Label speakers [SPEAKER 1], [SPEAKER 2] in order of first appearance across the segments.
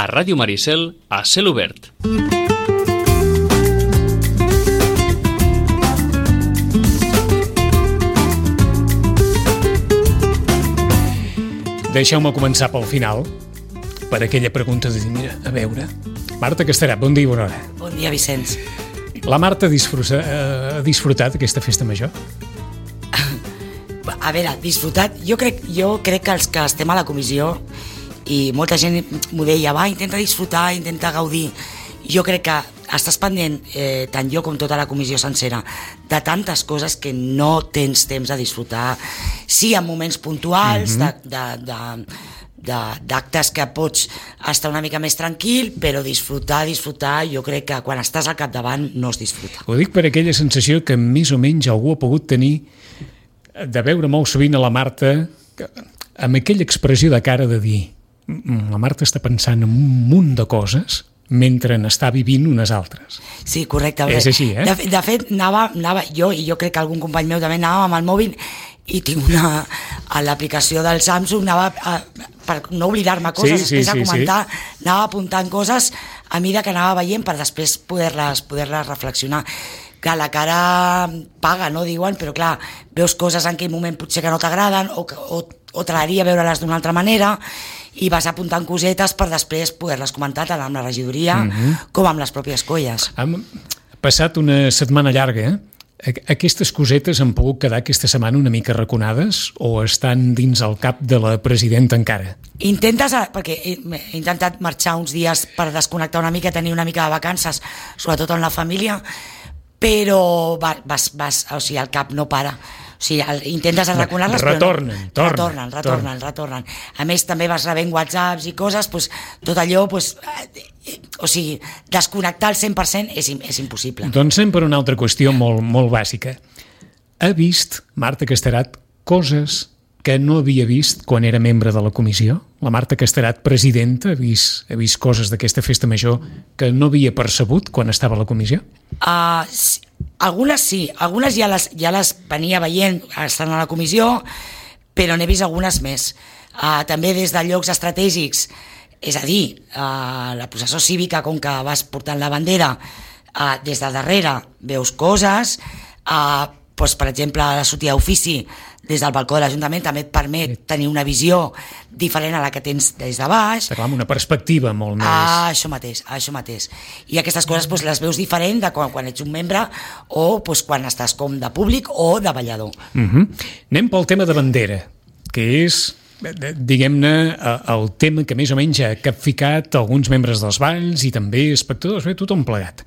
[SPEAKER 1] a Ràdio Maricel, a Cel Obert.
[SPEAKER 2] Deixeu-me començar pel final, per aquella pregunta de dir, mira, a veure, Marta Casterat, bon dia i bona hora.
[SPEAKER 3] Bon dia, Vicenç.
[SPEAKER 2] La Marta ha disfrutat aquesta festa major?
[SPEAKER 3] A veure, disfrutat, jo crec que els que estem a la comissió, i molta gent m'ho deia, va, intenta disfrutar, intenta gaudir. Jo crec que estàs pendent, tant jo com tota la comissió sencera, de tantes coses que no tens temps de disfrutar. Sí, en moments puntuals, d'actes que pots estar una mica més tranquil, però disfrutar, jo crec que quan estàs al capdavant no es disfruta.
[SPEAKER 2] Ho dic per aquella sensació que més o menys algú ha pogut tenir de veure molt sovint a la Marta amb aquella expressió de cara de dir la Marta està pensant en un munt de coses mentre n'està vivint unes altres.
[SPEAKER 3] Sí, correcte.
[SPEAKER 2] És així, eh?
[SPEAKER 3] De fet, anava jo, i jo crec que algun company meu també anava amb el mòbil, i tinc a l'aplicació del Samsung, per no oblidar-me coses, després de comentar, anava apuntant coses a mida que anava veient per després poder-les reflexionar. Clar, la cara paga, no diuen, però clar, veus coses en aquell moment potser que no t'agraden o t'agradaria veure-les d'una altra manera, i vas apuntant cosetes per després poder-les comentar tant amb la regidoria com amb les pròpies colles.
[SPEAKER 2] Hem passat una setmana llarga, Aquestes cosetes han pogut quedar aquesta setmana una mica raconades o estan dins el cap de la presidenta encara?
[SPEAKER 3] Perquè he intentat marxar uns dies per desconnectar una mica, tenir una mica de vacances, sobretot amb la família, però el cap no para. O sigui, intentes arraconar-les, però no. Retornen. A més, també vas rebent whatsapps i coses, tot allò, o sigui, desconnectar al 100% és impossible.
[SPEAKER 2] Doncs anem per una altra qüestió molt bàsica. Ha vist, Marta Casterat, coses que no havia vist quan era membre de la comissió? La Marta Casterat, presidenta, ha vist coses d'aquesta festa major que no havia percebut quan estava a la comissió?
[SPEAKER 3] Algunes sí, algunes ja les venia veient estant a la comissió, però n'he vist algunes més. També des de llocs estratègics, és a dir, la processó cívica, com que vas portant la bandera, des de darrere veus coses, per exemple, la sortida d'ofici des del balcó de l'Ajuntament també et permet tenir una visió diferent a la que tens des de baix.
[SPEAKER 2] Està clar, amb una perspectiva molt més...
[SPEAKER 3] Això mateix. I aquestes coses les veus diferent de quan ets un membre o quan estàs com de públic o de ballador.
[SPEAKER 2] Anem pel tema de bandera, que és, diguem-ne, el tema que més o menys ha capficat alguns membres dels balls i també espectadors, tothom plegat.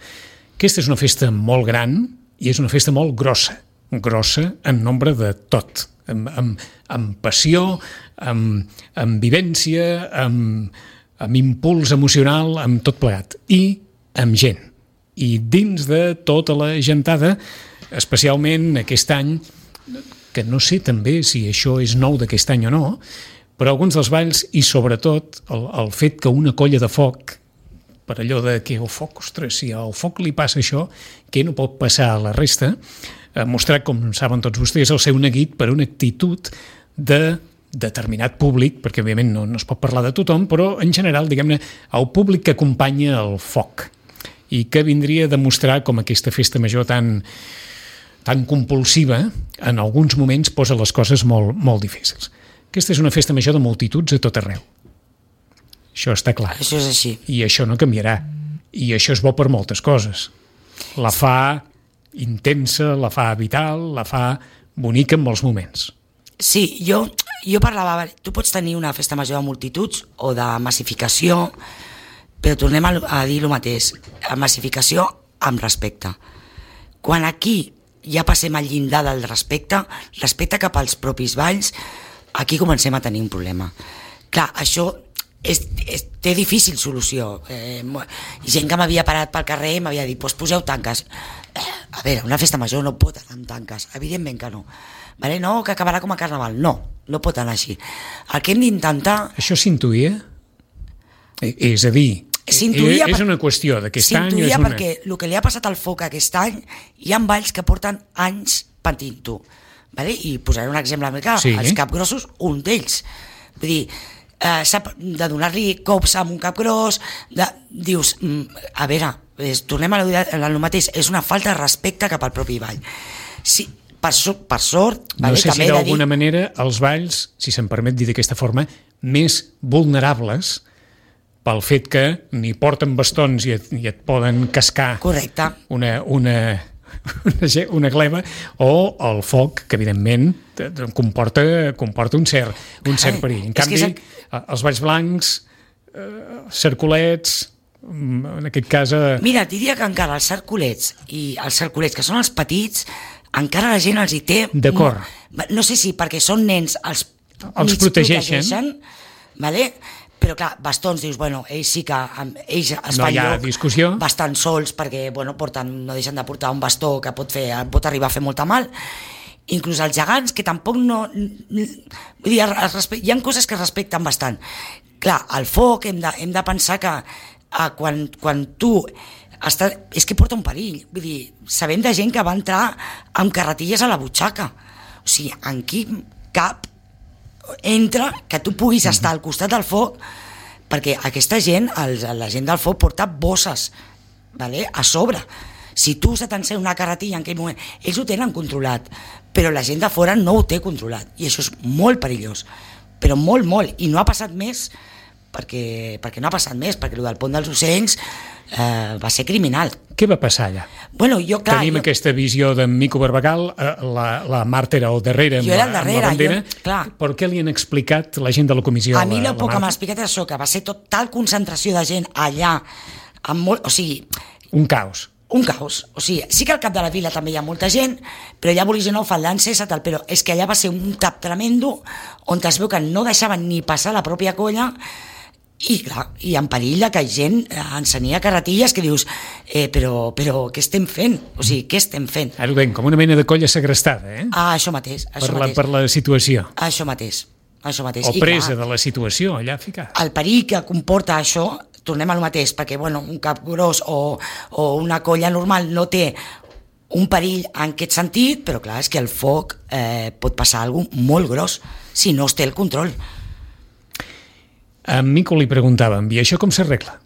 [SPEAKER 2] Aquesta és una festa molt gran i és una festa molt grossa en nombre de tot, amb passió, amb vivència, amb impuls emocional, amb tot plegat, i amb gent. I dins de tota la gentada, especialment aquest any, que no sé també si això és nou d'aquest any o no, però alguns dels balls, i sobretot el fet que una colla de foc, per allò de que el foc, ostres, si al foc li passa això, què no pot passar a la resta, ha mostrat, com saben tots vostès, el seu neguit per una actitud de determinat públic, perquè òbviament no es pot parlar de tothom, però en general, diguem-ne, el públic que acompanya el foc i que vindria a demostrar com aquesta festa major tan compulsiva en alguns moments posa les coses molt difícils. Aquesta és una festa major de multituds a tot arreu. Això està clar.
[SPEAKER 3] Això és així.
[SPEAKER 2] I això no canviarà. I això és bo per moltes coses. La fa intensa, la fa vital, la fa bonica en molts moments.
[SPEAKER 3] Sí, jo parlava, tu pots tenir una festa major de multituds o de massificació, però tornem a dir el mateix, massificació amb respecte. Quan aquí ja passem al llindar del respecte cap als propis balls, aquí comencem a tenir un problema. Clar, això té difícil solució. Gent que m'havia parat pel carrer m'havia dit, poseu tanques. A veure, una festa major no pot anar amb tanques, evidentment que no. No, que acabarà com a carnaval. No pot anar així. El que hem d'intentar...
[SPEAKER 2] Això s'intuïa? És a dir, és una qüestió d'aquest any...
[SPEAKER 3] S'intuïa perquè el que li ha passat al foc aquest any, hi ha balls que porten anys patint-ho. I posaré un exemple més clar, els capgrossos, un d'ells. Vull dir, de donar-li cops amb un cap gros, dius, a veure, tornem a lo mateix, és una falta de respecte cap al propi ball. Sí, per sort,
[SPEAKER 2] no sé si d'alguna manera els balls, si se'm permet dir d'aquesta forma, més vulnerables pel fet que ni porten bastons i et poden cascar una gleva, o el foc, que evidentment comporta un cert perill. En canvi, els balls blancs, cercolets, en aquest cas...
[SPEAKER 3] Mira, diria que encara els cercolets, que són els petits, encara la gent els hi té...
[SPEAKER 2] D'acord.
[SPEAKER 3] No sé si perquè són nens els
[SPEAKER 2] protegeixen,
[SPEAKER 3] vale? Però clar, bastons, dius, bueno, ells sí que ells es fan
[SPEAKER 2] lloc
[SPEAKER 3] bastant sols perquè no deixen de portar un bastó que pot arribar a fer molta mal. Inclús els gegants, que tampoc no... Vull dir, hi ha coses que es respecten bastant. Clar, el foc hem de pensar que quan tu... és que porta un perill. Vull dir, sabem de gent que va entrar amb carretilles a la butxaca. O sigui, en quin cap entra que tu puguis estar al costat del foc, perquè aquesta gent, la gent del foc porta bosses, vale? A sobre. Si tu se t'encén una carretilla en aquell moment, ells ho tenen controlat, però la gent de fora no ho té controlat, i això és molt perillós, però molt, molt, i no ha passat més perquè no ha passat més, perquè el del pont dels ocells va ser criminal.
[SPEAKER 2] Què va passar allà?
[SPEAKER 3] Bueno,
[SPEAKER 2] tenim aquesta visió d'en Mico Barbagal, la Marta era al darrere amb la bandera, per què li han explicat la gent de la comissió?
[SPEAKER 3] A mi el poc que m'ha explicat és això, que va ser tal concentració de gent allà, o sigui...
[SPEAKER 2] Un caos.
[SPEAKER 3] Un caos, o sigui, sí que al cap de la vila també hi ha molta gent, però ja vulguis o no, Faldances, però és que allà va ser un tap tremendo, on es veu que no deixaven ni passar la pròpia colla, i clar, i en perill que gent encenia carretilles que dius però què estem fent? O sigui, què estem fent?
[SPEAKER 2] Ara ho veiem, com una mena de colla segrestada,
[SPEAKER 3] això mateix.
[SPEAKER 2] Per la situació.
[SPEAKER 3] Això mateix.
[SPEAKER 2] O presa de la situació, allà ficat.
[SPEAKER 3] El perill que comporta això, tornem al mateix, perquè un cap gros o una colla normal no té un perill en aquest sentit, però clar, és que el foc pot passar alguna cosa molt gros si no es té el control.
[SPEAKER 2] A Mico li preguntàvem, i això com s'arregla?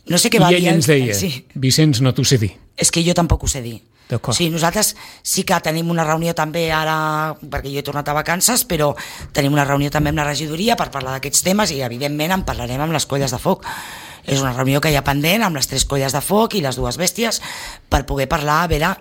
[SPEAKER 3] No sé què va dir.
[SPEAKER 2] I ell ens deia, Vicenç, no t'ho sé dir.
[SPEAKER 3] És que jo tampoc ho sé dir.
[SPEAKER 2] D'acord.
[SPEAKER 3] O sigui, nosaltres sí que tenim una reunió també ara, perquè jo he tornat a vacances, però tenim una reunió també amb la regidoria per parlar d'aquests temes i evidentment en parlarem amb les colles de foc. És una reunió que hi ha pendent amb les 3 colles de foc i les 2 bèsties per poder parlar, a veure...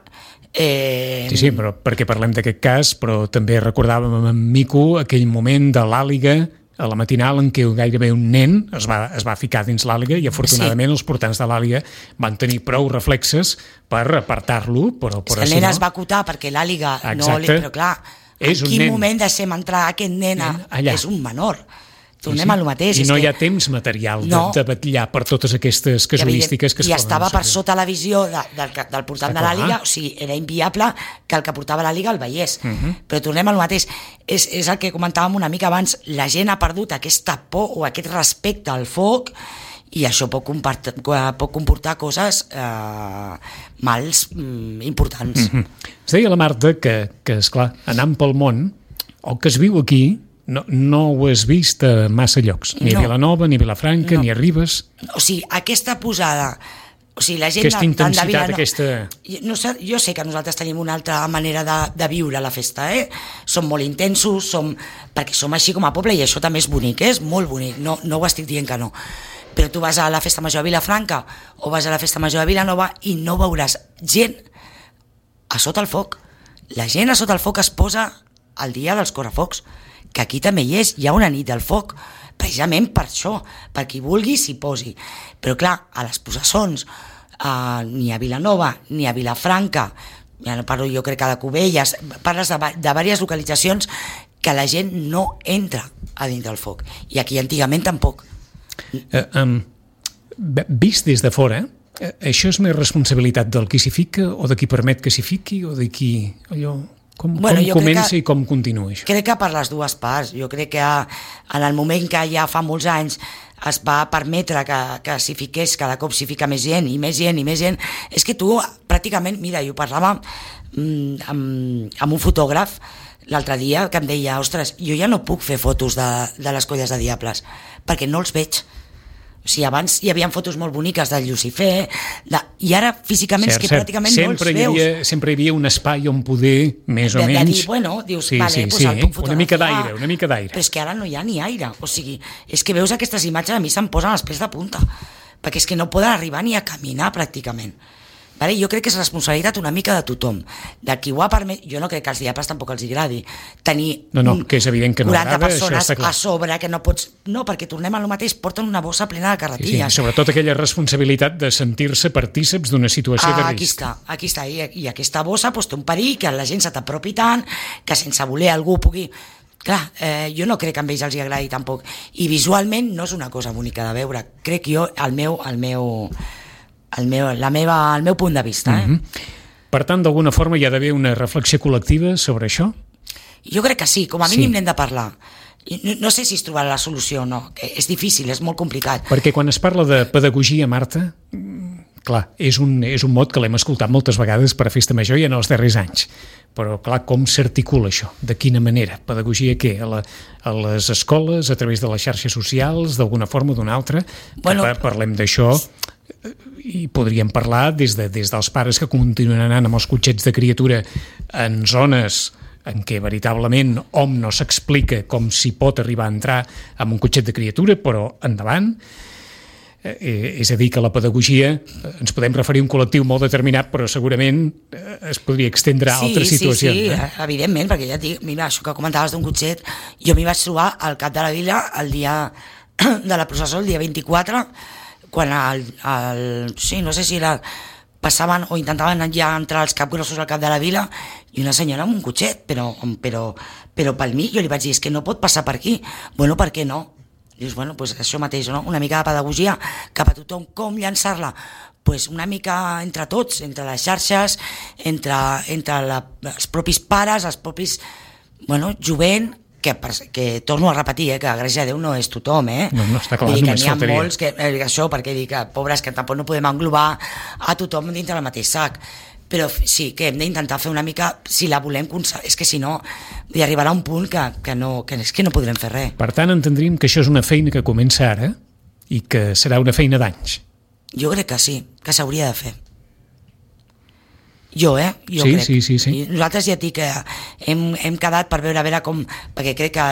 [SPEAKER 2] Sí, però perquè parlem d'aquest cas, però també recordàvem amb Mico aquell moment de l'àliga a la matinal en què gairebé un nen es va ficar dins l'àliga i afortunadament els portants de l'àliga van tenir prou reflexes per apartar-lo, però
[SPEAKER 3] el nen es va acotar perquè l'àliga no... Però clar, en quin moment deixem entrar aquest nen és un menor. Tornem a lo mateix.
[SPEAKER 2] I no hi ha temps material de batllar per totes aquestes casuístiques que es poden...
[SPEAKER 3] I estava per sota la visió del portant de l'àliga, o sigui, era inviable que el que portava l'àliga el veiés. Però tornem a lo mateix. És el que comentàvem una mica abans, la gent ha perdut aquesta por o aquest respecte al foc i això pot comportar coses mals importants.
[SPEAKER 2] Es deia la Marta que esclar, anant pel món, el que es viu aquí no ho has vist a massa llocs, ni a Vilanova, ni a Vilafranca, ni a Ribes.
[SPEAKER 3] O sigui, aquesta posada, o sigui, la gent
[SPEAKER 2] aquesta intensitat, aquesta...
[SPEAKER 3] Jo sé que nosaltres tenim una altra manera de viure la festa, som molt intensos, perquè som així com a poble i això també és bonic, és molt bonic, no ho estic dient que no. Però tu vas a la festa major a Vilafranca o vas a la festa major a Vilanova i no veuràs gent a sota el foc. La gent a sota el foc es posa el dia dels correfocs, que aquí també hi ha una nit del foc, precisament per això, per qui vulgui s'hi posi. Però clar, a les posaçons, ni a Vilanova, ni a Vilafranca, ja no parlo jo crec que de Cubelles, parles de diverses localitzacions que la gent no entra a dins del foc. I aquí antigament tampoc.
[SPEAKER 2] Vist des de fora, això és més responsabilitat del qui s'hi fica o de qui permet que s'hi fiqui o de qui... Com comença i com continua això?
[SPEAKER 3] Crec que per les dues parts. Jo crec que en el moment que ja fa molts anys es va permetre que s'hi fiqués, cada cop s'hi fica més gent i més gent i més gent, és que tu pràcticament, mira, jo parlava amb un fotògraf l'altre dia que em deia, ostres, jo ja no puc fer fotos de les colles de diables, perquè no els veig. O sigui, abans hi havia fotos molt boniques del Lucifer, i ara físicament és que pràcticament no els veus.
[SPEAKER 2] Sempre hi havia un espai on poder, més o menys...
[SPEAKER 3] De dir, bueno, dius, vale, doncs el puc fotografiar.
[SPEAKER 2] Una mica d'aire.
[SPEAKER 3] Però és que ara no hi ha ni aire. O sigui, és que veus aquestes imatges, a mi se'm posen els pèls de punta, perquè és que no poden arribar ni a caminar pràcticament. Vale? Jo crec que és responsabilitat una mica de tothom, de qui ho ha permès. Jo no crec que als diables tampoc els agradi tenir
[SPEAKER 2] que és evident que no
[SPEAKER 3] 40
[SPEAKER 2] agrada,
[SPEAKER 3] persones a sobre que no pots... No, perquè tornem a lo mateix, porten una bossa plena de carretilles.
[SPEAKER 2] Sí, sobretot aquella responsabilitat de sentir-se partíceps d'una situació de risc.
[SPEAKER 3] Aquí està, i aquesta bossa té un perill, que la gent se t'apropi tant, que sense voler algú pugui... Clar, jo no crec que a ells els agradi tampoc, i visualment no és una cosa bonica de veure, crec jo, el meu punt de vista.
[SPEAKER 2] Per tant, d'alguna forma hi ha d'haver una reflexió col·lectiva sobre això?
[SPEAKER 3] Jo crec que sí, com a mínim n'hem de parlar. No sé si es trobarà la solució o no, és difícil, és molt complicat.
[SPEAKER 2] Perquè quan es parla de pedagogia, Marta, clar, és un mot que l'hem escoltat moltes vegades per a Festa Major i en els darrers anys. Però, clar, com s'articula això? De quina manera? Pedagogia què? A les escoles, a través de les xarxes socials, d'alguna forma o d'una altra? Parlem d'això i podríem parlar des dels pares que continuen anant amb els cotxets de criatura en zones en què veritablement hom no s'explica com s'hi pot arribar a entrar amb un cotxet de criatura, però endavant. És a dir, que la pedagogia, ens podem referir a un col·lectiu molt determinat, però segurament es podria extendre a altres situacions.
[SPEAKER 3] Sí, evidentment, perquè ja et dic, mira, això que comentaves d'un cotxet, jo m'hi vaig trobar al cap de la vila el dia de la processó, el dia 24, quan no sé si era, passaven o intentaven ja entrar els capgrossos al cap de la vila i una senyora amb un cotxet, però pel mig jo li vaig dir, és que no pot passar per aquí. Bueno, per què no? Dius, bueno, doncs això mateix, no? Una mica de pedagogia cap a tothom, com llançar-la? Pues una mica entre tots, entre les xarxes, entre els propis pares, els propis, jovent, que torno a repetir, que gràcies a Déu no és tothom,
[SPEAKER 2] No, està clar,
[SPEAKER 3] només faltaria. N'hi ha molts que, això, perquè dic que, pobres, que tampoc no podem englobar a tothom dintre del mateix sac, però sí, que hem d'intentar fer una mica, si la volem, és que si no, hi arribarà un punt que no podrem fer res.
[SPEAKER 2] Per tant, entendríem que això és una feina que comença ara i que serà una feina d'anys.
[SPEAKER 3] Jo crec que sí, que s'hauria de fer. Jo
[SPEAKER 2] crec. Sí.
[SPEAKER 3] Nosaltres ja et dic que hem quedat per veure com, perquè crec que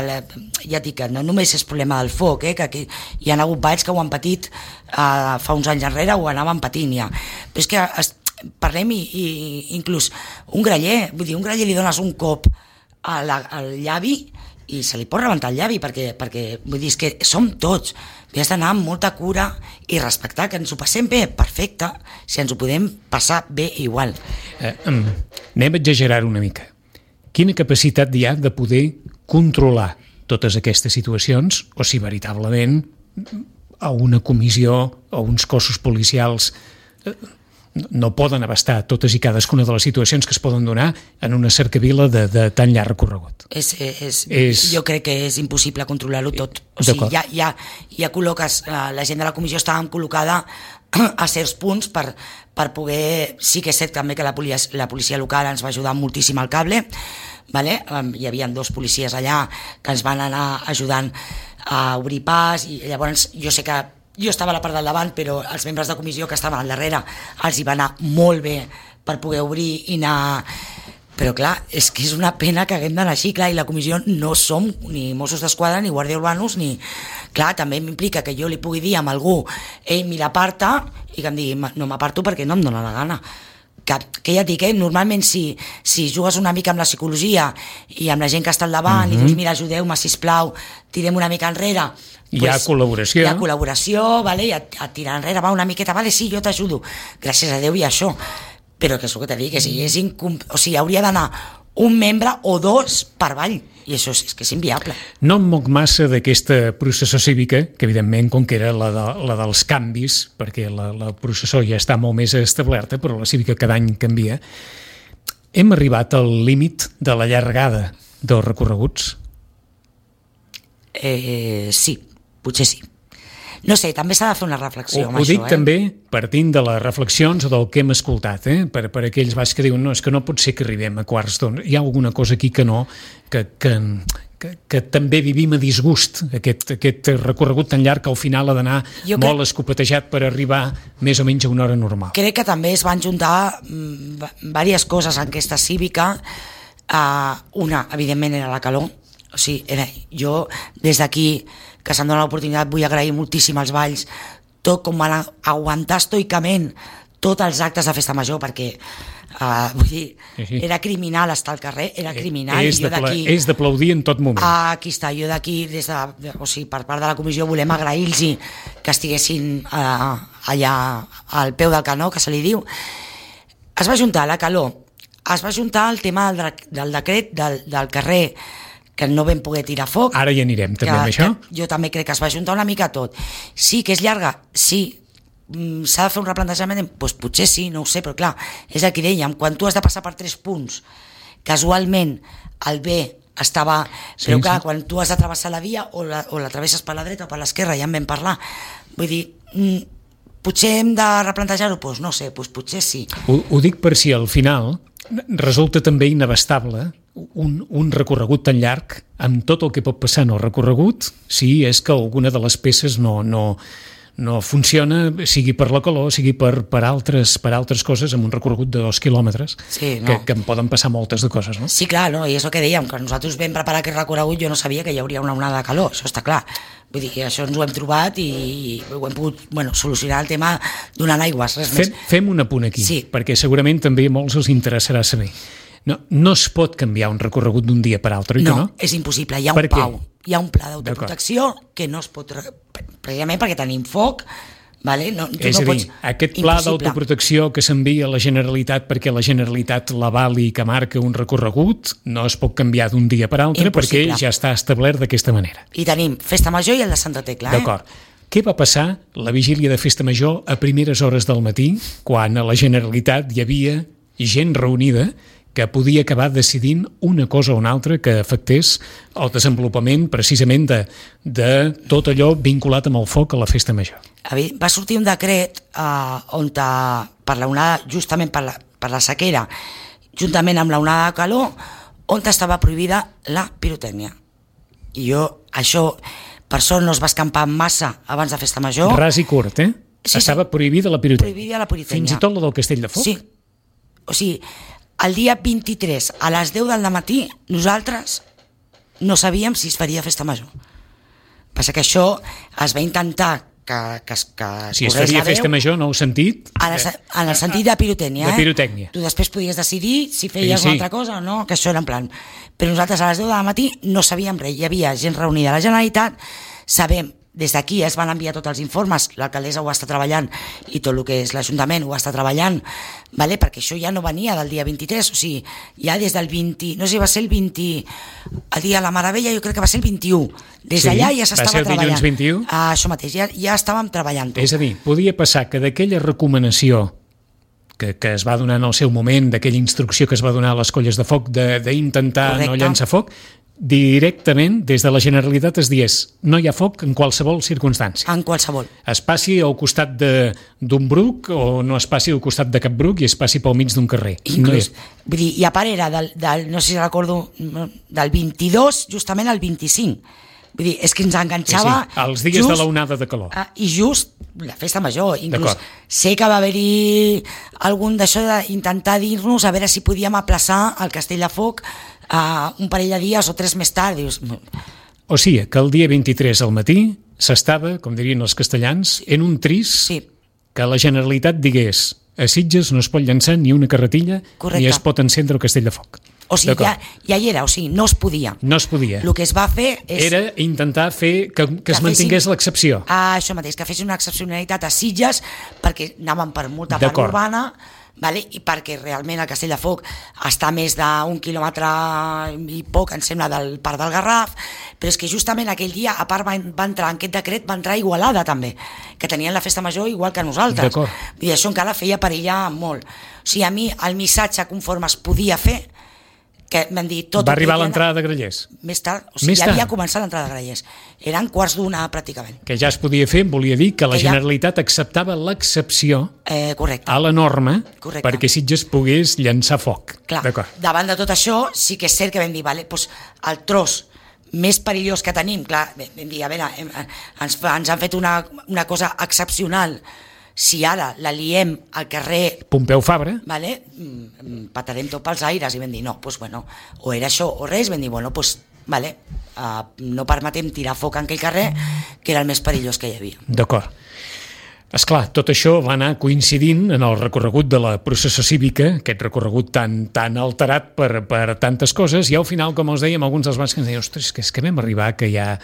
[SPEAKER 3] ja et dic que no només és problema del foc, que aquí hi ha hagut balls que ho han patit fa uns anys enrere, ho anaven patint ja, però és que parlem i inclús un graller li dones un cop al llavi i se li pot rebentar el llavi, perquè vull dir, és que som tots, has d'anar amb molta cura i respectar, que ens ho passem bé, perfecte, si ens ho podem passar bé igual.
[SPEAKER 2] Anem a exagerar una mica. Quina capacitat hi ha de poder controlar totes aquestes situacions, o si veritablement a una comissió o uns cossos policials no poden abastar totes i cadascuna de les situacions que es poden donar en una cercavila de tan llarg recorregut.
[SPEAKER 3] Jo crec que és impossible controlar-ho tot. O sigui, ja col·loques, la gent de la comissió estava col·locada a certs punts per poder... Sí que és cert també que la policia local ens va ajudar moltíssim al cable, vale? Hi havia 2 policies allà que ens van anar ajudant a obrir pas, i llavors jo sé que jo estava a la part del davant, però els membres de comissió que estaven al darrere els hi va anar molt bé per poder obrir i anar... Però clar, és que és una pena que haguem d'anar així, clar, i la comissió no som ni Mossos d'Esquadra ni Guàrdia Urbanos, ni... Clar, també m'implica que jo li pugui dir a algú mira, aparta, i que em digui, no m'aparto perquè no em dóna la gana. Que ja et dic, normalment si jugues una mica amb la psicologia i amb la gent que està al davant i dius, mira, ajudeu-me, sisplau, tirem una mica enrere,
[SPEAKER 2] hi ha col·laboració.
[SPEAKER 3] Hi ha col·laboració, vale? I et tirar enrere, va una miqueta, vale, sí, jo t'ajudo, gràcies a Déu i això, però que és el que t'he dit, que o sigui, hauria d'anar un membre o 2 per ball, i això és que és inviable.
[SPEAKER 2] No em moc massa d'aquesta processó cívica, que evidentment com que era la dels canvis, perquè la processó ja està molt més establerta, però la cívica cada any canvia. Hem arribat al límit de la llargada dels recorreguts?
[SPEAKER 3] Sí, potser sí. No sé, també s'ha de fer una reflexió amb
[SPEAKER 2] ho
[SPEAKER 3] això.
[SPEAKER 2] dic també partint de les reflexions o del que hem escoltat, per aquells baix que diuen no, és que no pot ser que arribem a quarts d'onze. Hi ha alguna cosa aquí que no, que també vivim a disgust, aquest recorregut tan llarg que al final ha d'anar molt escopetejat per arribar més o menys a una hora normal.
[SPEAKER 3] Crec que també es van juntar diverses coses en aquesta cívica. Una, evidentment, era la calor. O sigui, jo, des d'aquí, que se'm dona l'oportunitat, vull agrair moltíssim als balls tot com van aguantar estoicament tots els actes de festa major, perquè vull dir, era criminal estar al carrer, era criminal.
[SPEAKER 2] És d'aplaudir en tot moment.
[SPEAKER 3] Aquí està, jo d'aquí, o sigui, per part de la comissió, volem agrair-los que estiguessin allà al peu del canó, que se li diu. Es va juntar la calor, es va juntar el tema del decret del carrer, que no vam poder tirar foc.
[SPEAKER 2] Ara hi anirem també amb això.
[SPEAKER 3] Jo també crec que es va juntar una mica tot. Sí, que és llarga, sí. S'ha de fer un replantejament? Doncs potser sí, no ho sé, però clar, és el que dèiem, quan tu has de passar per 3 punts, casualment el B estava... Però clar, quan tu has de travessar la via o la travesses per la dreta o per l'esquerra, ja en vam parlar. Vull dir, potser hem de replantejar-ho? Doncs no sé, potser sí.
[SPEAKER 2] Ho dic per si al final resulta també inabastable un recorregut tan llarg amb tot el que pot passar en el recorregut si és que alguna de les peces no funciona, sigui per la calor, sigui per altres coses, amb un recorregut de 2 quilòmetres,
[SPEAKER 3] sí, no.
[SPEAKER 2] que en poden passar moltes de coses, no?
[SPEAKER 3] Sí, clar, no? I és el que dèiem, que nosaltres vam preparar aquest recorregut, jo no sabia que hi hauria una onada de calor, això està clar. Vull dir que això ens ho hem trobat i ho hem pogut solucionar el tema donant aigües, res més.
[SPEAKER 2] Fem un apunt aquí, sí. Perquè segurament també a molts els interessarà saber. No es pot canviar un recorregut d'un dia per altre,
[SPEAKER 3] no, és impossible, hi ha un pau, hi ha un pla d'autoprotecció que no es pot, precisament perquè tenim foc, vale?
[SPEAKER 2] És a dir, aquest pla d'autoprotecció que s'envia a la Generalitat perquè la Generalitat l'avali que marca un recorregut no es pot canviar d'un dia per altre perquè ja està establert d'aquesta manera.
[SPEAKER 3] I tenim Festa Major i el de Santa Tecla.
[SPEAKER 2] D'acord. Què va passar la vigília de Festa Major a primeres hores del matí, quan a la Generalitat hi havia gent reunida que podia acabar decidint una cosa o una altra que afectés el desenvolupament precisament de tot allò vinculat amb el foc a la Festa Major?
[SPEAKER 3] Va sortir un decret on per la onada, justament per la sequera, juntament amb la onada de calor, on estava prohibida la pirotècnia. I això, per sort, no es va escampar massa abans de Festa Major.
[SPEAKER 2] Ras i curt, Sí, estava prohibida la pirotècnia.
[SPEAKER 3] Prohibida la pirotècnia.
[SPEAKER 2] Fins i tot la del Castell de Foc?
[SPEAKER 3] Sí. O sigui, el dia 23 a les 10 del matí nosaltres no sabíem si es faria Festa Major. Passa que això es va intentar que
[SPEAKER 2] si es faria Festa Major, no heu sentit?
[SPEAKER 3] En el sentit de pirotènia.
[SPEAKER 2] De pirotècnia.
[SPEAKER 3] Tu després podies decidir si feies una altra cosa o no, que això era en plan. Però nosaltres a les 10 del matí no sabíem res, hi havia gent reunida a la Generalitat, sabem, des d'aquí es van enviar tots els informes, l'alcaldessa ho està treballant i tot el que és l'Ajuntament ho està treballant, vale? Perquè això ja no venia del dia 23, o sigui, ja des del 20, no sé si va ser el 20, el dia de la Maravella, jo crec que va ser el 21, des d'allà ja s'estava treballant.
[SPEAKER 2] Va ser el dilluns 21?
[SPEAKER 3] Això mateix, ja estàvem treballant tot.
[SPEAKER 2] És a dir, podia passar que d'aquella recomanació que es va donar en el seu moment, d'aquella instrucció que es va donar a les colles de foc d'intentar no llançar foc, directament des de la Generalitat es digués no hi ha foc en qualsevol circumstància.
[SPEAKER 3] En qualsevol.
[SPEAKER 2] Es passi al costat d'un bruc o no es passi al costat de cap bruc i es passi pel mig d'un carrer.
[SPEAKER 3] Inclús, vull dir, i a part era no sé si recordo, del 22 justament al 25. Vull dir, és que ens enganxava...
[SPEAKER 2] Sí, els dies de la onada de calor.
[SPEAKER 3] I just la Festa Major. Inclús sé que va haver-hi algun d'això d'intentar dir-nos a veure si podíem aplaçar el Castell de Foc un parell de dies o 3 més tard. Dius...
[SPEAKER 2] O sigui, que el dia 23 al matí s'estava, com dirien els castellans, en un tris que la Generalitat digués a Sitges no es pot llançar ni una carretilla ni es pot encendre el Castell de Foc.
[SPEAKER 3] O sigui, ja hi era, o sigui, no es podia.
[SPEAKER 2] No es podia.
[SPEAKER 3] El que es va fer
[SPEAKER 2] era intentar fer que es mantingués l'excepció.
[SPEAKER 3] Això mateix, que fessin una excepcionalitat a Sitges perquè anaven per molta part urbana, vale? I perquè realment el Castell de Foc està a més d'1 quilòmetre i poc, em sembla, del Parc del Garraf, però és que justament aquell dia, a part va entrar en aquest decret, va entrar Igualada també, que tenien la Festa Major igual que nosaltres. I això encara feia perillar molt. O sigui, a mi el missatge conforme es podia fer que m'han dit tot...
[SPEAKER 2] Va arribar a l'entrada de Grallers.
[SPEAKER 3] Més tard, o sigui, ja havia començat l'entrada de Grallers. Eren 1:15 pràcticament.
[SPEAKER 2] Que ja es podia fer, volia dir que la Generalitat acceptava l'excepció a la norma perquè Sitges pogués llançar foc.
[SPEAKER 3] Clar, davant de tot això, sí que és cert que vam dir, vale, doncs el tros més perillós que tenim, clar, vam dir, a veure, ens han fet una cosa excepcional. Si ara la liem al carrer
[SPEAKER 2] Pompeu Fabra,
[SPEAKER 3] vale, patarem tot pels aires, i vam dir, no, doncs bueno, o era això o res, vam dir, bueno, doncs vale, no permetem tirar foc en aquell carrer, que era el més perillós que hi havia.
[SPEAKER 2] D'acord. Esclar, tot això va anar coincidint en el recorregut de la processó cívica, aquest recorregut tan alterat per tantes coses, i al final, com us dèiem, alguns dels bancs que ens deien, ostres, és que vam arribar, que ja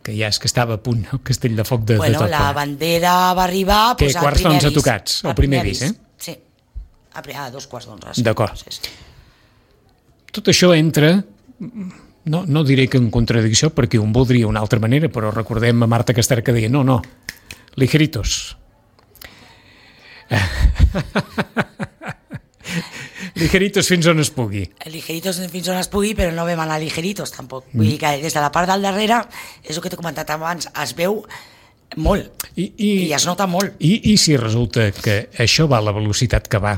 [SPEAKER 2] és que estava a punt el castell de foc de tot.
[SPEAKER 3] La bandera va arribar
[SPEAKER 2] que quarts d'11 tocats, el primer avís,
[SPEAKER 3] Sí, a 2:15.
[SPEAKER 2] D'acord. Tot això entra, no diré que en contradicció, perquè un voldria una altra manera, però recordem a Marta Caster que deia, no, ligeritos. Ligeritos fins on es pugui.
[SPEAKER 3] Ligeritos fins on es pugui, però no vam anar ligeritos tampoc. Vull dir que des de la part del darrere, és el que t'he comentat abans, es veu molt i es nota molt.
[SPEAKER 2] I si resulta que això va a la velocitat que va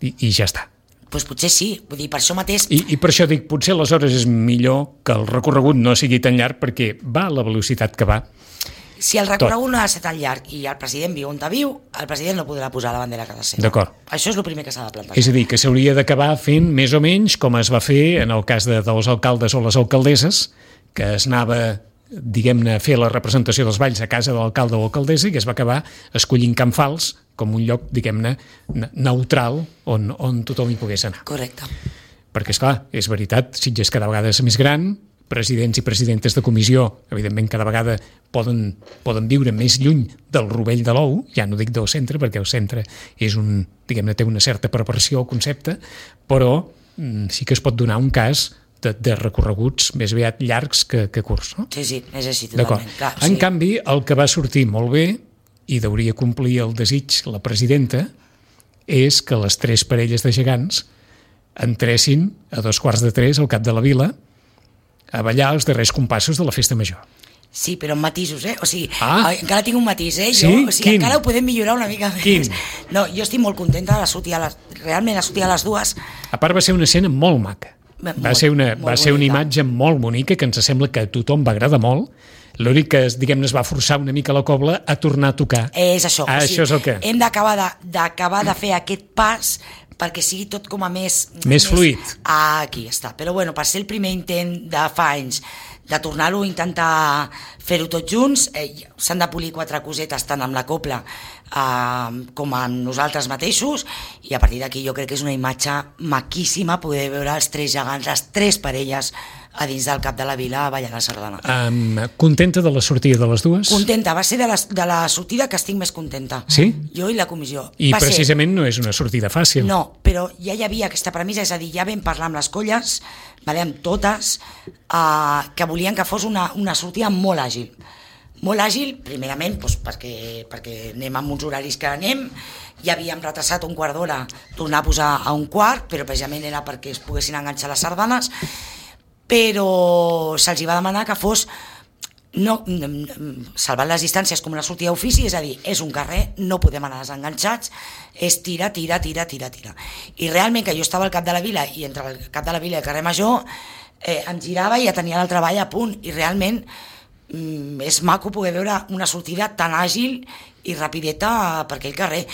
[SPEAKER 2] i ja està?
[SPEAKER 3] Doncs potser sí, vull dir, per això mateix...
[SPEAKER 2] I per això dic, potser aleshores és millor que el recorregut no sigui tan llarg perquè va a la velocitat que va.
[SPEAKER 3] Si el recorregut no ha de ser tan llarg i el president viu on viu, el president no podrà posar la bandera a casa seva.
[SPEAKER 2] D'acord.
[SPEAKER 3] Això és el primer que s'ha de plantejar.
[SPEAKER 2] És a dir, que s'hauria d'acabar fent més o menys com es va fer en el cas dels alcaldes o les alcaldesses, que es anava, diguem-ne, a fer la representació dels balls a casa de l'alcalde o alcaldessa i que es va acabar escollint Can Fals com un lloc, diguem-ne, neutral on tothom hi pogués anar.
[SPEAKER 3] Correcte.
[SPEAKER 2] Perquè, esclar, és veritat, Sitges cada vegada és més gran, presidents i presidentes de comissió, evidentment, cada vegada poden viure més lluny del rovell de l'ou, ja no dic del centre, perquè el centre és diguem-ne, té una certa preparació al concepte, però sí que es pot donar un cas de recorreguts més aviat llargs que curts. No?
[SPEAKER 3] Sí, és així, totalment. Clar,
[SPEAKER 2] en canvi, el que va sortir molt bé, i deuria complir el desig la presidenta, és que les 3 parelles de gegants entressin a 2:15 al cap de la vila a ballar els darrers compassos de la festa major.
[SPEAKER 3] Sí, però amb matisos, O sigui, encara tinc un matís,
[SPEAKER 2] Sí?
[SPEAKER 3] Jo, o sigui, encara ho podem millorar una mica més.
[SPEAKER 2] Quin?
[SPEAKER 3] No, jo estic molt contenta de sortir realment a sortir a les 2.
[SPEAKER 2] A part va ser una escena molt maca. Va ser una imatge molt bonica que ens sembla que a tothom va agradar molt. L'únic que, diguem-ne, es va forçar una mica la cobla a tornar a tocar.
[SPEAKER 3] És això.
[SPEAKER 2] Això és el que...
[SPEAKER 3] Hem d'acabar de fer aquest pas perquè sigui tot com a més
[SPEAKER 2] fluid.
[SPEAKER 3] Aquí està. Però bueno, per ser el primer intent de fa anys de tornar-ho a intentar fer-ho tots junts, s'han de polir 4 cosetes tant amb la cobla com amb nosaltres mateixos, i a partir d'aquí jo crec que és una imatge maquíssima poder veure els 3 gegants, les 3 parelles a dins del cap de la vila ballant la sardana.
[SPEAKER 2] Contenta de la sortida de les 2?
[SPEAKER 3] Contenta, va ser de la sortida que estic més contenta.
[SPEAKER 2] Sí?
[SPEAKER 3] Jo i la comissió.
[SPEAKER 2] I precisament no és una sortida fàcil.
[SPEAKER 3] No, però ja hi havia aquesta premissa, és a dir, ja vam parlar amb les colles, amb totes, que volien que fos una sortida molt àgil. Molt àgil, primerament, perquè anem amb uns horaris que anem, ja havíem retrasat un quart d'hora, tornar a posar a un quart, però precisament era perquè es poguessin enganxar les sardanes, però se'ls va demanar que fos salvant les distàncies com una sortida d'ofici, és a dir, és un carrer, no podem anar desenganxats, és tira. I realment que jo estava al cap de la vila, i entre el cap de la vila i el carrer Major em girava i ja tenia el treball a punt, i realment és maco poder veure una sortida tan àgil i rapideta per aquell carrer.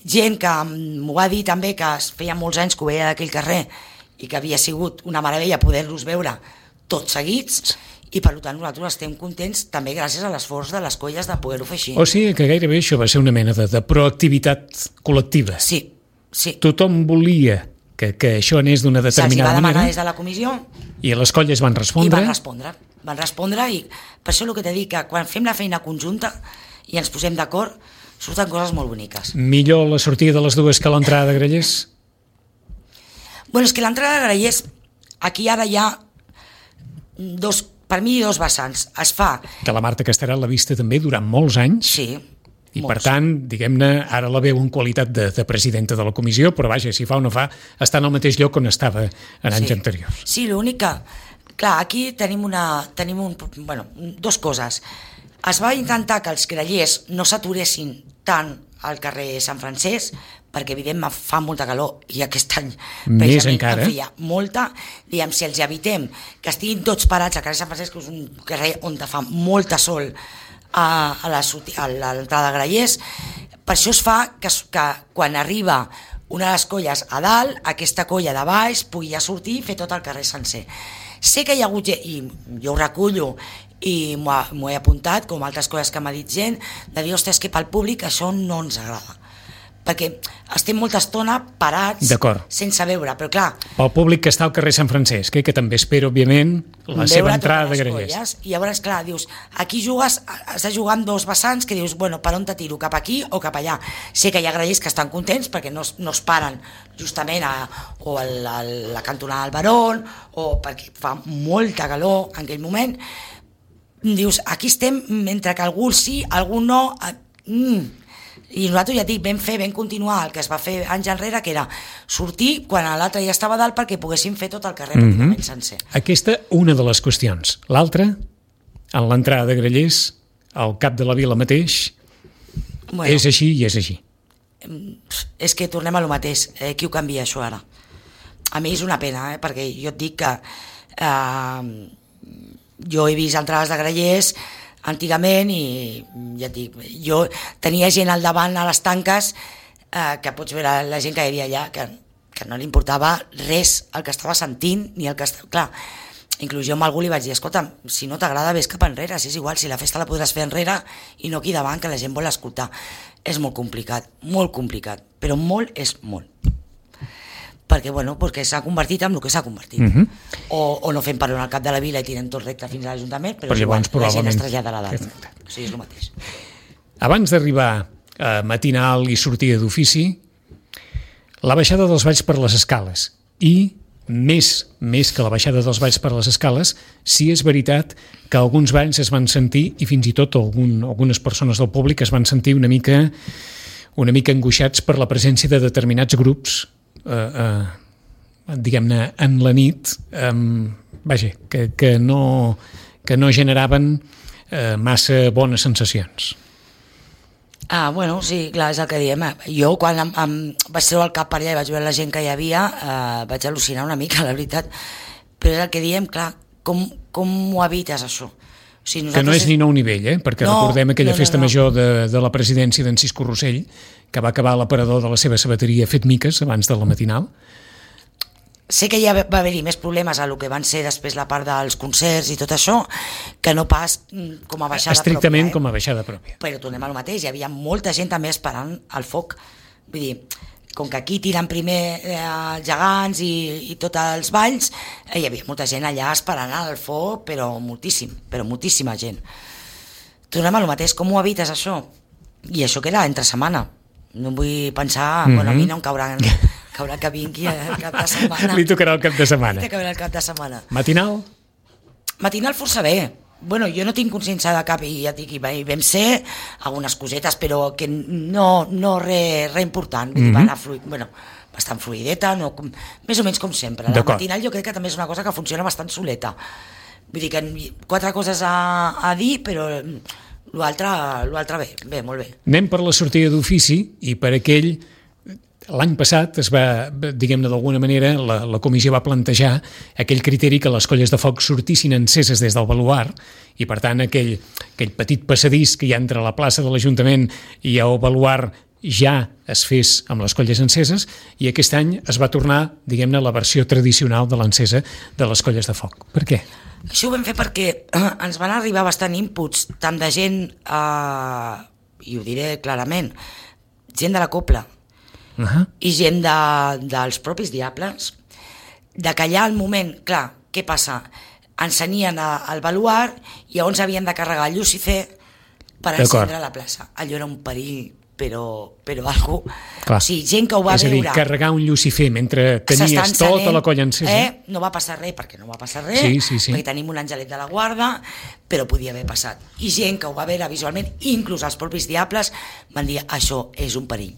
[SPEAKER 3] Gent que m'ho va dir també que feia molts anys que ho veia d'aquell carrer i que havia sigut una meravella poder-los veure tots seguits, i per tant nosaltres estem contents també gràcies a l'esforç de les colles de poder-ho fer així.
[SPEAKER 2] O sigui que gairebé això va ser una mena de proactivitat col·lectiva.
[SPEAKER 3] Sí.
[SPEAKER 2] Tothom volia que això anés d'una determinada manera.
[SPEAKER 3] Se'ls va demanar des de la comissió.
[SPEAKER 2] I les colles van respondre.
[SPEAKER 3] Van respondre, i per això el que t'he dit, que quan fem la feina conjunta i ens posem d'acord, surten coses molt boniques.
[SPEAKER 2] Millor la sortida de les 2 que l'entrada de Grallers?
[SPEAKER 3] Bueno, és que l'entrada de Grallers, aquí ara hi ha per mi 2 vessants. Es fa...
[SPEAKER 2] Que la Marta Casterà l'ha vista també durant molts anys.
[SPEAKER 3] Sí.
[SPEAKER 2] I per tant, diguem-ne, ara la veu en qualitat de presidenta de la comissió, però vaja, si fa o no fa, està en el mateix lloc on estava en anys anteriors.
[SPEAKER 3] Sí, l'únic que, clar, aquí tenim dues coses. Es va intentar que els grallers no s'aturessin tant al carrer Sant Francesc, perquè evidentment fa molta calor i aquest any
[SPEAKER 2] més encara
[SPEAKER 3] en feia molta. Diguem, si els evitem que estiguin tots parats al carrer Sant Francesc, que és un carrer on fa molta sol a l'entrada de grallers, per això es fa que quan arriba una de les colles a dalt, aquesta colla de baix pugui ja sortir i fer tot el carrer sencer. Sé que hi ha hagut, i jo ho recullo i m'ho he apuntat, com altres coses que m'ha dit gent, de dir, ostres, que pel públic això no ens agrada, perquè estem molta estona parats sense veure, però clar...
[SPEAKER 2] Pel públic que està al carrer Sant Francesc, que també espera, òbviament, la seva entrada de grallers.
[SPEAKER 3] I llavors, clar, dius, aquí has de jugar amb dos vessants que dius, bueno, per on te tiro, cap aquí o cap allà? Sé que hi ha grallers que estan contents perquè no es paren justament a la cantonada del Barón, o perquè fa molta calor en aquell moment. Dius, aquí estem mentre que algú sí, algú no... I nosaltres ja dic, vam continuar el que es va fer anys enrere, que era sortir quan l'altre ja estava dalt perquè poguéssim fer tot el carrer pràcticament sencer.
[SPEAKER 2] Aquesta, una de les qüestions. L'altra, en l'entrada de grallers, al cap de la vila mateix, és així i és així.
[SPEAKER 3] És que tornem a lo mateix. Qui ho canvia, això, ara? A mi és una pena, perquè jo et dic que jo he vist entrades de grallers antigament i ja et dic, jo tenia gent al davant a les tanques que pots veure la gent que hi havia allà que no li importava res el que estava sentint ni el que estava... Clar, inclús jo amb algú li vaig dir, escolta, si no t'agrada ves cap enrere, si és igual, si la festa la podràs fer enrere i no aquí davant, que la gent vol escoltar. És molt complicat, però molt és molt. Perquè s'ha convertit en el que s'ha convertit. O no fem per al cap de la vila i tirem tot recte fins a l'Ajuntament, però igual, la gent es trasllada a la dalt. O sigui, és el mateix.
[SPEAKER 2] Abans d'arribar a matinal i sortida d'ofici, la baixada dels balls per les escales. I més que la baixada dels balls per les escales, sí és veritat que alguns balls es van sentir, i fins i tot algunes persones del públic es van sentir una mica angoixats per la presència de determinats grups diguem-ne en la nit, vaja, que no generaven massa bones sensacions.
[SPEAKER 3] Bueno, sí, clar, és el que diem. Jo quan vaig treure el cap per allà i vaig veure la gent que hi havia, vaig al·lucinar una mica, la veritat, però és el que diem, clar, com ho evites això? O sigui,
[SPEAKER 2] que no és ni nou nivell, perquè recordem aquella festa major de la presidència d'en Cisco Rossell, que va acabar a l'aparador de la seva sabateria fet miques abans de la matinal.
[SPEAKER 3] Sé que ja va haver-hi més problemes a lo que van ser després la part dels concerts i tot això, que no pas com a baixada
[SPEAKER 2] estrictament
[SPEAKER 3] pròpia.
[SPEAKER 2] Com a baixada pròpia.
[SPEAKER 3] Però tornem al mateix, hi havia molta gent també esperant el foc. Vull dir, com que aquí tiren primer els gegants i tots els balls, hi havia molta gent allà esperant el foc, però moltíssima gent. Tornem al mateix, com ho evites això? I això queda entre setmana. No vull pensar, bueno, a mi no em caurà que vingui el cap de setmana.
[SPEAKER 2] Li tocarà el cap de setmana.
[SPEAKER 3] Li tocarà el cap de setmana.
[SPEAKER 2] Matinal?
[SPEAKER 3] Matinal força bé. Bueno, jo no tinc consciència de cap, i ja dic, hi vam ser algunes cosetes, però que no res important. Vull dir, va anar bastant fluideta, més o menys com sempre. La matinal jo crec que també és una cosa que funciona bastant soleta. Vull dir que 4 coses a dir, però l'altre bé, molt bé.
[SPEAKER 2] Anem per la sortida d'ofici i per aquell... L'any passat es va, diguem-ne d'alguna manera, la comissió va plantejar aquell criteri que les colles de foc sortissin enceses des del baluart i, per tant, aquell petit passadís que hi ha entre la plaça de l'Ajuntament i el baluart ja es fes amb les colles enceses, i aquest any es va tornar, diguem-ne, la versió tradicional de l'encesa de les colles de foc. Per què?
[SPEAKER 3] Això ho vam fer perquè ens van arribar bastant inputs, tant de gent, i ho diré clarament, gent de la Copla, i gent dels propis diables, de que allà al moment, clar, què passa? Encenien el baluart i llavors havien de carregar el Llucifer per encendre la plaça. Allò era un perill algú...
[SPEAKER 2] Clar.
[SPEAKER 3] O sigui, gent que ho va
[SPEAKER 2] veure... És a dir,
[SPEAKER 3] veure...
[SPEAKER 2] carregar un Lucifer mentre tenies tota la colla encesa.
[SPEAKER 3] No va passar res, perquè no va passar res,
[SPEAKER 2] sí.
[SPEAKER 3] perquè tenim un angelet de la guarda, però podia haver passat. I gent que ho va veure visualment, inclús els propis diables, van dir, això és un perill.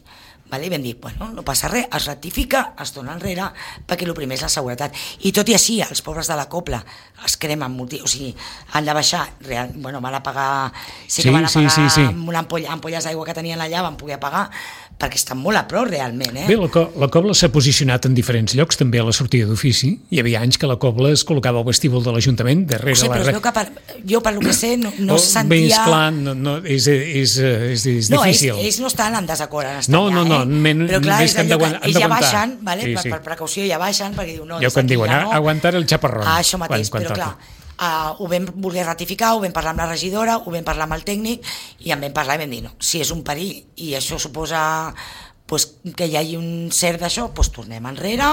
[SPEAKER 3] Vale? I vam dir, bueno, no passa res, es rectifica, es dona enrere, perquè el primer és la seguretat. I tot i així, els pobres de la copla es cremen, o sigui, han de baixar, van a pagar, van a pagar amb una ampolles d'aigua que tenien allà, van poder pagar, perquè estan molt a prop realment.
[SPEAKER 2] Bé, la cobla s'ha posicionat en diferents llocs, també a la sortida d'ofici. Hi havia anys que la cobla es col·locava al vestíbul de l'Ajuntament, darrere
[SPEAKER 3] la... Però es veu que jo, per lo que sé, no se sentia...
[SPEAKER 2] Bé, esclar, és difícil.
[SPEAKER 3] No, ells no estan en desacord en estar allà, però clar, ells ja baixen, per precaució ja baixen, perquè diu, no,
[SPEAKER 2] ja quan diuen, aguantar el xaparrón.
[SPEAKER 3] Això mateix, però clar, ho vam voler ratificar, ho vam parlar amb la regidora, ho vam parlar amb el tècnic, i en vam parlar i vam dir, no, si és un perill i això suposa que hi hagi un cert d'això, tornem enrere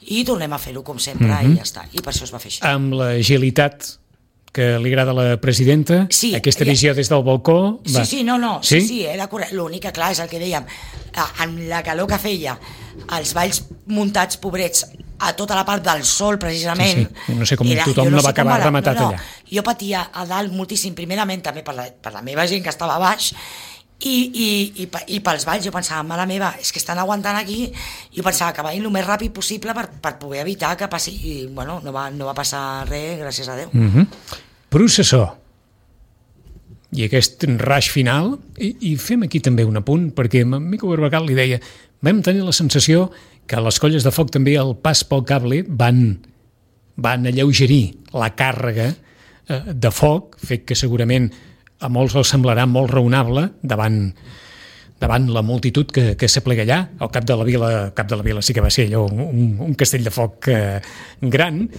[SPEAKER 3] i tornem a fer-ho com sempre, i ja està, i per això es va fer així.
[SPEAKER 2] Amb l'agilitat que li agrada a la presidenta, aquesta visió des del balcó...
[SPEAKER 3] Sí, era correcte. L'únic que, clar, és el que dèiem, amb la calor que feia, els balls muntats, pobrets, a tota la part del sol, precisament...
[SPEAKER 2] Sí. No sé com tothom no va acabar rematat allà.
[SPEAKER 3] Jo patia a dalt moltíssim, primerament també per la meva gent que estava a baix, i pels balls jo pensava, mare meva, és que estan aguantant aquí, jo pensava que vagin el més ràpid possible per poder evitar que passi, i bueno, no va passar res, gràcies a Déu.
[SPEAKER 2] Processó i aquest raig final, i fem aquí també un apunt, perquè a Mico Barbacal li deia, vam tenir la sensació que les colles de foc també al pas pel cable van alleugerir la càrrega de foc, fet que segurament a molts els semblarà molt raonable davant la multitud que s'aplega allà. Al cap de la vila sí que va ser allò un castell de foc gran.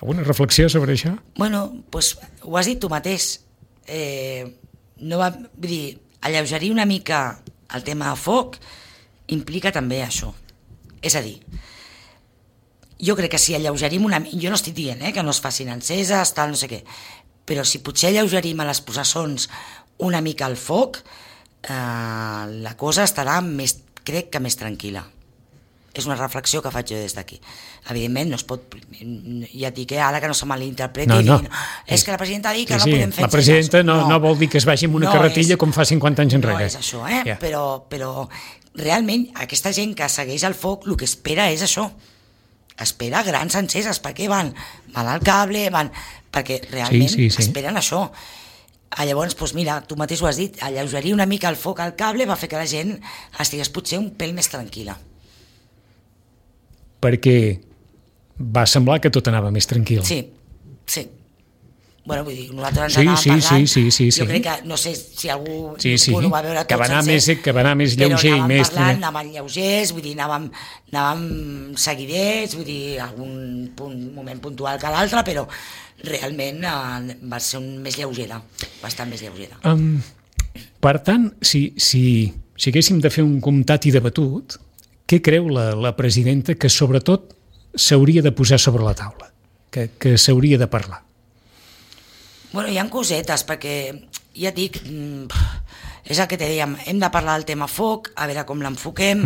[SPEAKER 2] Alguna reflexió sobre això?
[SPEAKER 3] Bueno, doncs ho has dit tu mateix. Vull dir, alleugerir una mica el tema de foc implica també això. És a dir, jo crec que si alleugerim una mica... Jo no estic dient que no es facin enceses, tal, no sé què, però si potser alleugerim a les processons una mica el foc, la cosa estarà crec que més tranquil·la. És una reflexió que faig jo des d'aquí. Evidentment no es pot, ja et dic ara que no se malinterpreti, és que la presidenta ha dit que no podem fer
[SPEAKER 2] la presidenta no vol dir que es vagi amb una carretilla com fa 50 anys enrere.
[SPEAKER 3] No és això, però realment aquesta gent que segueix el foc el que espera és això, espera grans enceses. Per què van al cable, perquè realment esperen això. Llavors, doncs mira, tu mateix ho has dit, alleugerir una mica el foc al cable va fer que la gent estigués potser un pèl més tranquil·la.
[SPEAKER 2] Perquè va semblar que tot anava més tranquil.
[SPEAKER 3] Sí. Bueno, vull dir, nosaltres ens anàvem parlant, jo crec que, no sé si algú ho va veure tot sencer,
[SPEAKER 2] que va anar més lleuger i més...
[SPEAKER 3] Però anàvem lleugers, vull dir, anàvem seguidets, vull dir, algun moment puntual que l'altre, però realment va ser més lleugera, bastant més lleugera.
[SPEAKER 2] Per tant, si haguéssim de fer un comptat i debatut, què creu la presidenta que sobretot s'hauria de posar sobre la taula, que s'hauria de parlar?
[SPEAKER 3] Bueno, hi ha cosetes, perquè ja et dic, és el que te dèiem, hem de parlar del tema foc, a veure com l'enfoquem,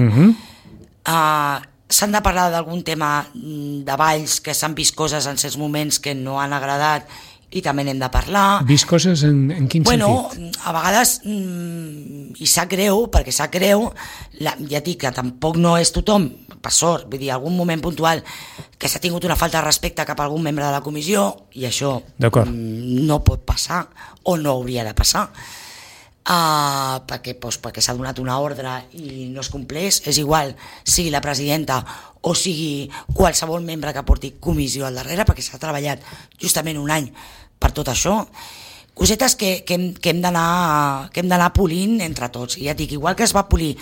[SPEAKER 3] s'han de parlar d'algun tema de balls, que s'han vist coses en certs moments que no han agradat i també n'hem de parlar.
[SPEAKER 2] Vist coses en quin sentit?
[SPEAKER 3] Bueno, a vegades, i sap greu, perquè sap greu, ja dic que tampoc no és tothom, per sort, vull dir, algun moment puntual que s'ha tingut una falta de respecte cap a algun membre de la comissió, i això no pot passar, o no hauria de passar, perquè s'ha donat una ordre i no es compleix, és igual sigui la presidenta o sigui qualsevol membre que porti comissió al darrere, perquè s'ha treballat justament un any per tot això. Cosetes que hem d'anar polint entre tots. I ja et dic, igual que es va polir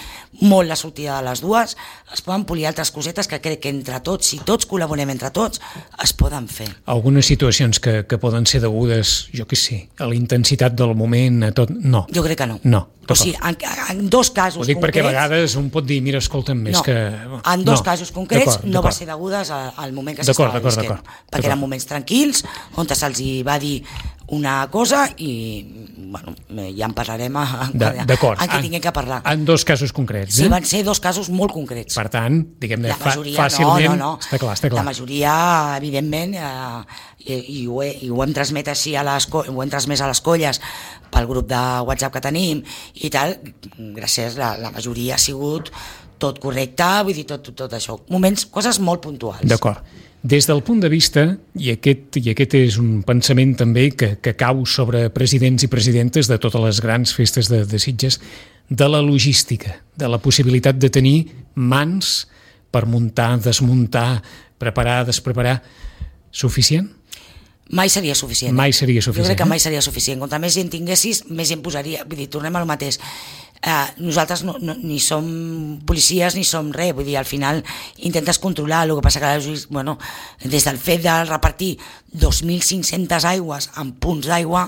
[SPEAKER 3] molt la sortida de les dues, es poden polir altres cosetes que crec que entre tots, si tots col·laborem entre tots, es poden fer.
[SPEAKER 2] Algunes situacions que poden ser degudes, jo què sé, a la intensitat del moment, a tot... No.
[SPEAKER 3] Jo crec que no.
[SPEAKER 2] No.
[SPEAKER 3] O sigui, en dos casos concrets...
[SPEAKER 2] Ho dic perquè a vegades un pot dir, mira, escolta'm, més que...
[SPEAKER 3] En dos casos concrets no va ser degudes al moment que s'estava visquent. Perquè eren moments tranquils, on se'ls va dir una cosa i bueno, ja en parlarem
[SPEAKER 2] d'acord.
[SPEAKER 3] en què tinguem que parlar.
[SPEAKER 2] En dos casos concrets.
[SPEAKER 3] Sí, van ser dos casos molt concrets.
[SPEAKER 2] Per tant, diguem-ne,
[SPEAKER 3] la majoria,
[SPEAKER 2] fàcilment...
[SPEAKER 3] No.
[SPEAKER 2] Està clar.
[SPEAKER 3] La majoria, evidentment, i ho hem transmès així ho hem transmès a les colles pel grup de WhatsApp que tenim i tal, gràcies, la majoria ha sigut tot correcte, vull dir, tot això. Coses molt puntuals.
[SPEAKER 2] D'acord. Des del punt de vista, i aquest és un pensament també que cau sobre presidents i presidentes de totes les grans festes de Sitges, de la logística, de la possibilitat de tenir mans per muntar, desmuntar, preparar, despreparar, suficient?
[SPEAKER 3] Mai seria suficient.
[SPEAKER 2] Mai seria suficient.
[SPEAKER 3] Jo crec que mai seria suficient. Contra més gent tinguessis, més gent posaria. Vull dir, tornem al mateix. Nosaltres ni som policies ni som res, vull dir, al final intentes controlar, el que passa que bueno, des del fet de repartir 2.500 aigües en punts d'aigua,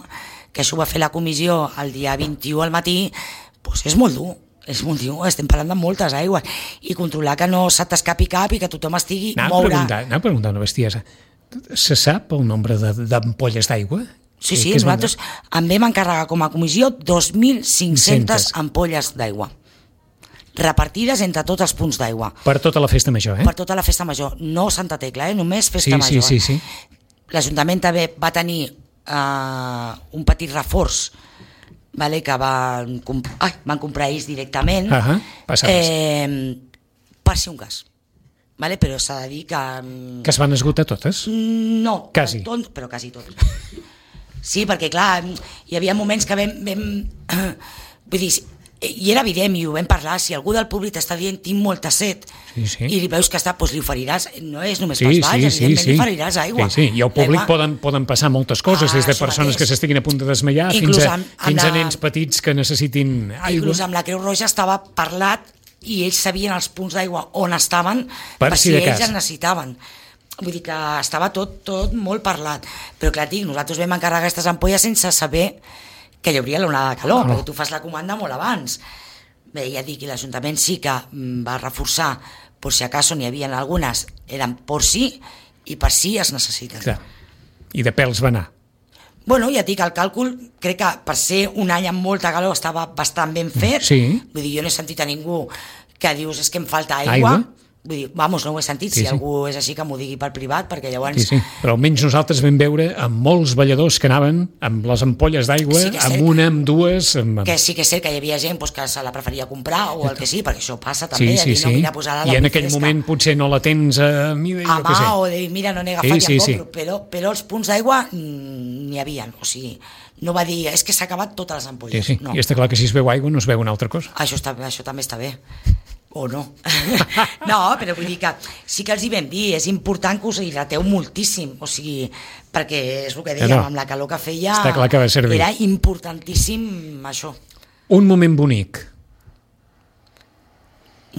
[SPEAKER 3] que això va fer la comissió el dia 21 al matí, doncs és molt dur. Estem parlant de moltes aigües i controlar que no se t'escapi cap i que tothom estigui moure.
[SPEAKER 2] Anava a preguntar una bestiesa. Se sap el nombre d'ampolles d'aigua?
[SPEAKER 3] Sí, nosaltres en vam encarregar com a comissió 2.500 ampolles d'aigua repartides entre tots els punts d'aigua.
[SPEAKER 2] Per tota la festa major,
[SPEAKER 3] Per tota la festa major, no Santa Tecla, només festa major.
[SPEAKER 2] Sí.
[SPEAKER 3] L'Ajuntament també va tenir un petit reforç, que van comprar ells directament per si un cas. Però s'ha de dir que...
[SPEAKER 2] Que es van esgotar totes?
[SPEAKER 3] No,
[SPEAKER 2] quasi.
[SPEAKER 3] Però quasi totes. Sí, perquè clar, hi havia moments que vam vull dir, i era evident i ho vam parlar, si algú del públic t'està dient tinc molta set i li veus que està, doncs li oferiràs, no és només pels balls, evidentment li oferiràs aigua.
[SPEAKER 2] I al públic poden passar moltes coses, des de persones que s'estiguin a punt de desmaiar fins a nens petits que necessitin aigua.
[SPEAKER 3] Inclús amb la Creu Roja estava parlat i ells sabien els punts d'aigua on estaven per si ells en necessitaven. Vull dir que estava tot molt parlat, però clar, nosaltres vam encarregar aquestes ampolles sense saber que hi hauria l'onada de calor, perquè tu fas la comanda molt abans. Bé, ja dic, i l'Ajuntament sí que va reforçar, per si acaso n'hi havia algunes, eren per si i per si es necessiten.
[SPEAKER 2] Clar. I de pèls va anar.
[SPEAKER 3] Bueno, ja dic, el càlcul crec que per ser un any amb molta calor estava bastant ben fet. Vull dir, jo no he sentit a ningú que dius és que em falta aigua. Vull dir, no ho he sentit, si algú és així que m'ho digui per privat, perquè llavors...
[SPEAKER 2] Sí, però almenys nosaltres vam veure amb molts balladors que anaven amb les ampolles d'aigua, amb una, amb dues...
[SPEAKER 3] Que sí que és cert que hi havia gent que se la preferia comprar o el que sí, perquè això passa també, no mira posar-la
[SPEAKER 2] i en aquell moment potser no la tens a
[SPEAKER 3] mà o de mira, no n'he agafat i em compro, però els punts d'aigua n'hi havia, o sigui, no va dir, és que s'ha acabat totes les ampolles.
[SPEAKER 2] I està clar que si es veu aigua no es veu una altra cosa.
[SPEAKER 3] Això també està bé. O no. No, però vull dir que sí que els hi vam dir, és important que us hidrateu moltíssim, o sigui, perquè és el que dèiem, amb la calor que feia,
[SPEAKER 2] està clar que va servir.
[SPEAKER 3] Era importantíssim això.
[SPEAKER 2] Un moment bonic.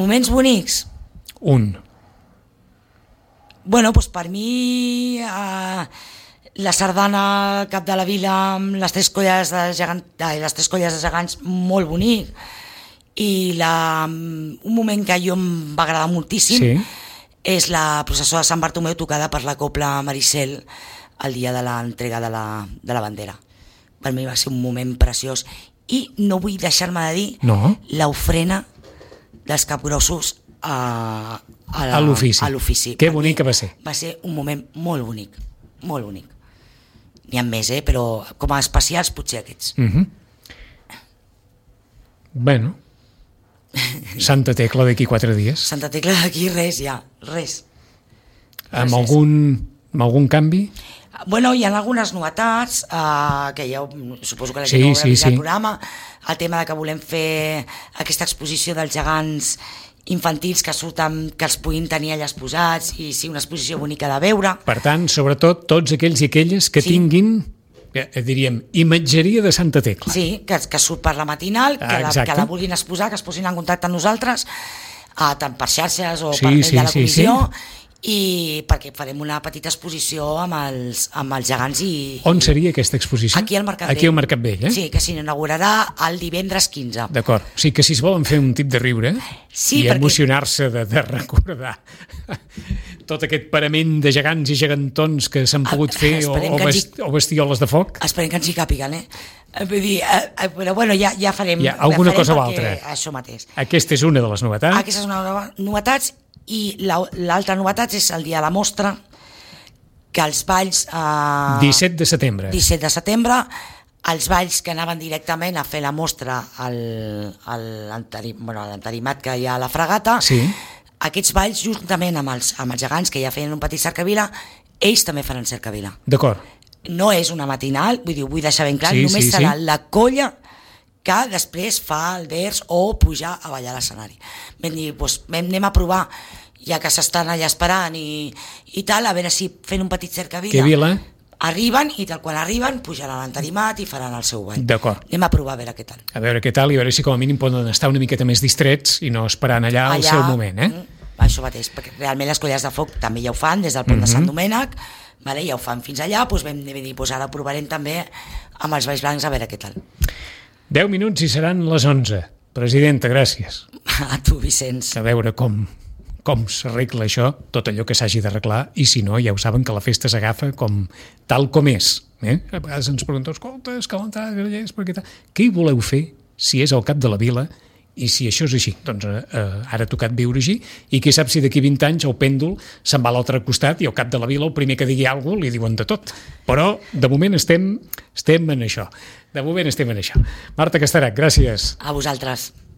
[SPEAKER 3] Moments bonics?
[SPEAKER 2] Un.
[SPEAKER 3] Bueno, doncs per mi la sardana al cap de la vila amb les tres colles de gegants, molt bonic. I un moment que a jo em va agradar moltíssim és la processó de Sant Bartomeu tocada per la Cobla Maricel el dia de l'entrega de la bandera. Per mi va ser un moment preciós i no vull deixar-me de dir l'ofrena dels capgrossos a l'ofici.
[SPEAKER 2] Que bonic que va ser.
[SPEAKER 3] Va ser un moment molt bonic, molt bonic. N'hi ha més, però com a especials potser aquests.
[SPEAKER 2] Bueno, Santa Tecla d'aquí 4 dies.
[SPEAKER 3] Santa Tecla d'aquí res, res.
[SPEAKER 2] Amb algun canvi?
[SPEAKER 3] Bueno, hi ha algunes novetats, que ja suposo que la gent no haurà vist el programa, el tema de que volem fer aquesta exposició dels gegants infantils que surten, que els puguin tenir allà exposats i sí, una exposició bonica de veure.
[SPEAKER 2] Per tant, sobretot, tots aquells i aquelles que tinguin, diríem, imatgeria de Santa Tecla.
[SPEAKER 3] Sí, que surt per la matinal, que la vulguin exposar, que es posin en contacte amb nosaltres, tant per xarxes o per mail de la comissió, i perquè farem una petita exposició amb els gegants.
[SPEAKER 2] On seria aquesta exposició?
[SPEAKER 3] Aquí al Mercat Vell.
[SPEAKER 2] Aquí al Mercat Vell,
[SPEAKER 3] Sí, que s'inaugurarà el divendres 15.
[SPEAKER 2] D'acord, o sigui que si es volen fer un tip de riure i emocionar-se de recordar tot aquest parament de gegants i gegantons que s'han pogut fer o bestioles de foc.
[SPEAKER 3] Esperem que ens hi càpiguen, Vull dir, però bueno, ja farem...
[SPEAKER 2] Ja, alguna cosa o altra.
[SPEAKER 3] Això mateix.
[SPEAKER 2] Aquesta és una de les novetats.
[SPEAKER 3] Aquesta és una de les novetats, i l'altra novetat és el dia de la mostra, que els balls...
[SPEAKER 2] 17 de setembre.
[SPEAKER 3] 17 de setembre, els balls que anaven directament a fer la mostra a l'entarimat que hi ha a la Fragata,
[SPEAKER 2] sí.
[SPEAKER 3] Aquests balls, juntament amb els gegants que ja feien un petit cercavila, ells també faran cercavila.
[SPEAKER 2] D'acord.
[SPEAKER 3] No és una matinal, vull deixar ben clar, només serà la colla que després fa el vers o pujar a ballar a l'escenari. Vam dir, anem a provar, ja que s'estan allà esperant i tal, a veure si fent un petit cercavila...
[SPEAKER 2] Que vila?
[SPEAKER 3] Arriben i quan arriben pujaran a l'entarimat i faran el seu ball.
[SPEAKER 2] D'acord.
[SPEAKER 3] Anem a provar a veure què tal.
[SPEAKER 2] A veure què tal i a veure si com a mínim poden estar una miqueta més distrets i no esperant allà el seu moment,
[SPEAKER 3] Això mateix, perquè realment les colles de foc també ja ho fan des del pont de Sant Domènec, ja ho fan fins allà, doncs vam dir, ara ho provarem també amb els balls blancs a veure què tal.
[SPEAKER 2] 10 minuts i seran les 11. Presidenta, gràcies.
[SPEAKER 3] A tu, Vicenç.
[SPEAKER 2] A veure com s'arregla això, tot allò que s'hagi d'arreglar, i si no, ja ho saben que la festa s'agafa tal com és. A vegades ens pregunteu, escolta, és que l'entrada és perquè tal... Què hi voleu fer si és al cap de la vila? I si això és així, doncs ara ha tocat viure així, i qui sap si d'aquí 20 anys el pèndol se'n va a l'altre costat i al cap de la vila el primer que digui alguna cosa li diuen de tot. Però de moment estem en això. De moment estem en això. Marta Casterach, gràcies.
[SPEAKER 3] A vosaltres.